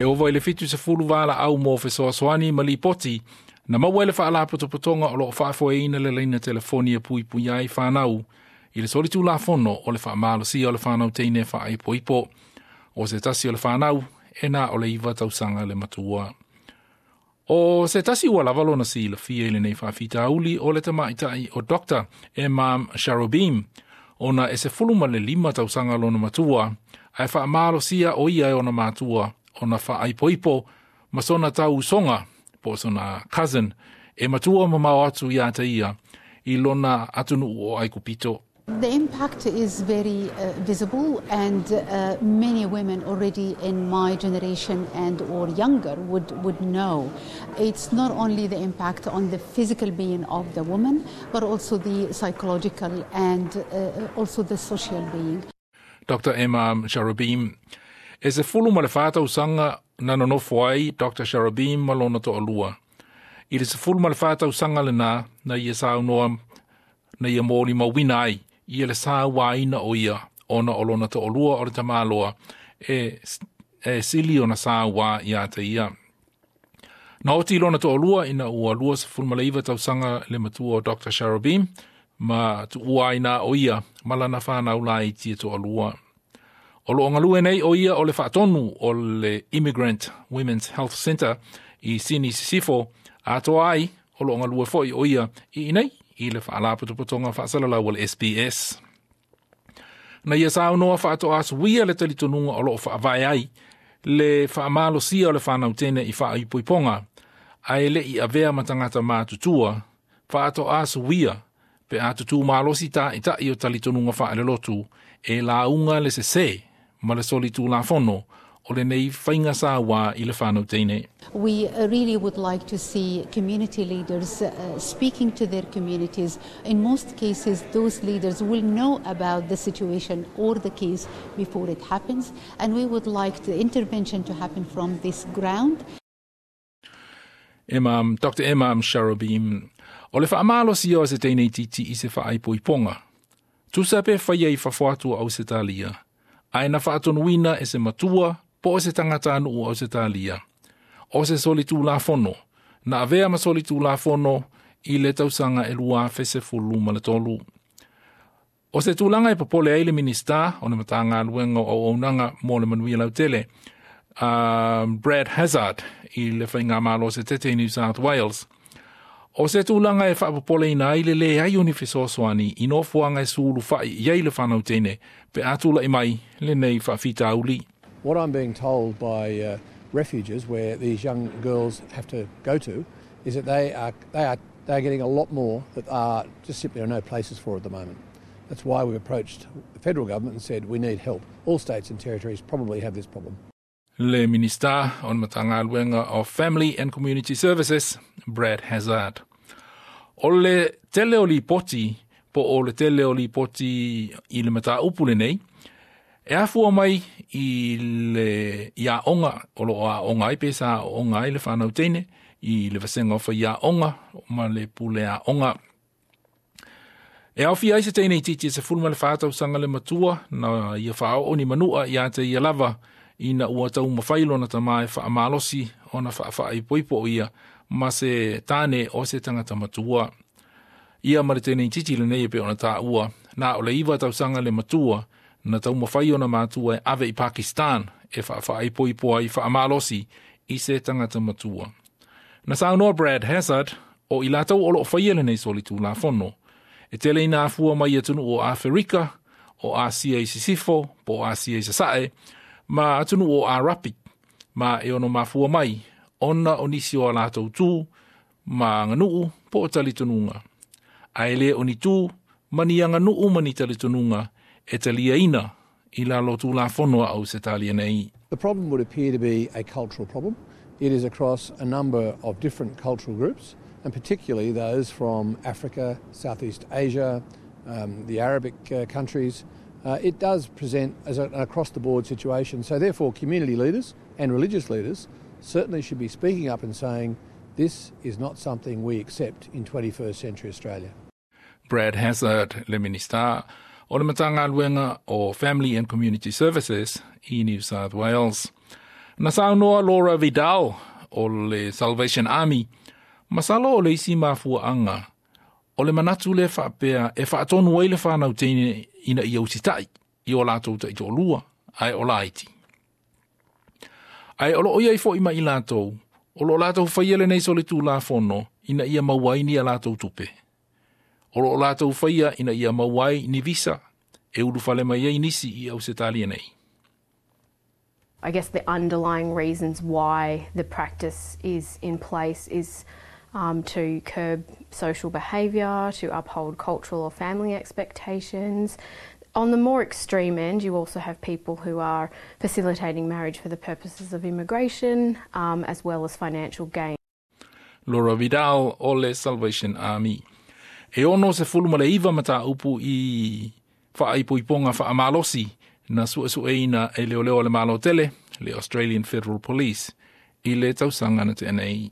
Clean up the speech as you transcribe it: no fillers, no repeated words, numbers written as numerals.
E ova i le 70 valaau mo fesoasoani ma lipoti na maua i le faalapotopotoga o loo faafoeina le laina telefoni e puipuia ai fanau i le solitulafono o le faamalosia o le fanau teine faaipoipo. O se tasi o le fanau e na o le 9 tausaga le matua. O se tasi ua lava lona silafia i lenei faafitauli o le tamaitai o Dr. Emam Sharobim, ona e 15 tausaga lona matua, ae faamalosia o ia e ona matua ona faaipoipo ma sona tauusoga po o sona cousin e matua mamao atu ia te ia i lona atunuu o Aikupito. The impact is very visible, and many women already in my generation and or younger would know. It's not only the impact on the physical being of the woman, but also the psychological and also the social being. Dr. Emma Sharabim. E 14 tausaga na nonofo ai Dr. Sharabim ma lona toalua. I le 14 tausaga lena na ia saunoa na ia molimauina ai ia le sauaina o ia ona o lona toalua o le tamaloa e sili ona saua ia te ia. Na oti lona toalua ina ua 29 tausaga le matua o Dr. Sharabim ma tuua ai na o ia ma lana whanau laiti e toalua. O loo galue nei o ia o le faatonu o le Immigrant Women's Health Centre i Sini Sisifo, atoa ai o loo galue foi o ia i inei i le faalapotopotoga faasalalau o le SBS. Na ia saunoa faatoa suia le talitonuga o loo faavae ai le faamalosia o le fanau tene i faaipoipoga, ae le i avea ma tagata matutua, faatoa suia pe a tutū malosi ta'ita'i o talitonuga faalelotu e lauga le sesē ma le solitulafono o lenei faiga sauā i le fanau teine. We really would like to see community leaders speaking to their communities. In most cases, those leaders will know about the situation or the case before it happens, and we would like the intervention to happen from this ground. Imam, Dr. Imam Sharabim, o le faamalosia o se teine itiiti i se faaipoipoga. Tusa pe faia i fafo atu o Ausetalia, ae na faatonuina e se matua po o se tagatanuu o Ausetalia. O se solitulafono, na avea ma solitulafono i le tausaga e 2013. O se tulaga e popole ai le Minista o le Matagaluega o Auaunaga mo le Manuia Lautele, Brad Hazzard i le Faigamalo se tete i New South Wales. O se tulaga e faapopoleina ai le leai o ni fesoasoani i nofoaga e sulufa'i i ai le fanau teine pe a tula'i mai lenei faafitauli. What I'm being told by refuges where these young girls have to go to is that they are getting a lot more that are just simply are no places for at the moment. That's why we've approached the federal government and said we need help. All states and territories probably have this problem. Le Minista o le Matagaluega of Family and Community Services, Brad Hazzard. O le tele o lipoti, po o le tele o lipoti i le mataupu lenei, e afua mai i le aoga o loo aoga ai pe sa aoga ai le fanau teine i le vasega o faiaoga ma le pule aoga. E aofia ai se teine itiiti e 14 tausaga le matua na ia faaoo ni manua ia te ia lava ina ua taumafai lona tamā e faamalosi ona faafaaipoipo o ia ma se tane o se tagata matua. Ia ma le teine itiiti lenei e pei ona taua, na o le 9 tausaga le matua na taumafai ona matua e ave i Pakistan e faafaaipoipo ai faamalosi i se tagata matua. Na saunoa Brad Hazzard o i latou o loo faia lenei solitulafono. E tele ina afua mai atunuu o Aferika, o Asia i Sisifo, po o Asia i Sasae, ma atunuu o Arapi, ma e ono mafua mai, ona o nisi o a latou tu, ma aganuu po o talitonuga. Ae le o ni tu, ma ni aganuu ma ni talitonuga e taliaina i lalo tulafono a Ausetalia nei. The problem would appear to be a cultural problem. It is across a number of different cultural groups, and particularly those from Africa, Southeast Asia, the Arabic countries. It does present as an across the board situation. So, therefore, community leaders and religious leaders certainly should be speaking up and saying this is not something we accept in 21st century Australia. Brad Hazzard, le Minista o le Matagaluega o Family and Community Services i New South Wales. Na saunoa Laura Vidal o le Salvation Army, masalo o le isi mafuaaga o le manatu lea faapea e faatonu ai le fanau teine ina ia usitaʻi i o latou taitoalua ae o laiti. Ae o loo i ai foʻi ma i latou o loo latou faia lenei solitulafono ina ia maua ai ni a latou tupe. O loo latou faia ina ia maua ai ni visa e ulufale mai ai nisi i Ausetalia nei. I guess the underlying reasons why the practice is in place is to curb social behaviour, to uphold cultural or family expectations. On the more extreme end, you also have people who are facilitating marriage for the purposes of immigration as well as financial gain. Laura Vidal o le Salvation Army. E 69 mataupu i faaipoipoga faamalosi na suesueina e leoleo a le Malo tele, le Australian Federal Police, i le tausaga na tea nei.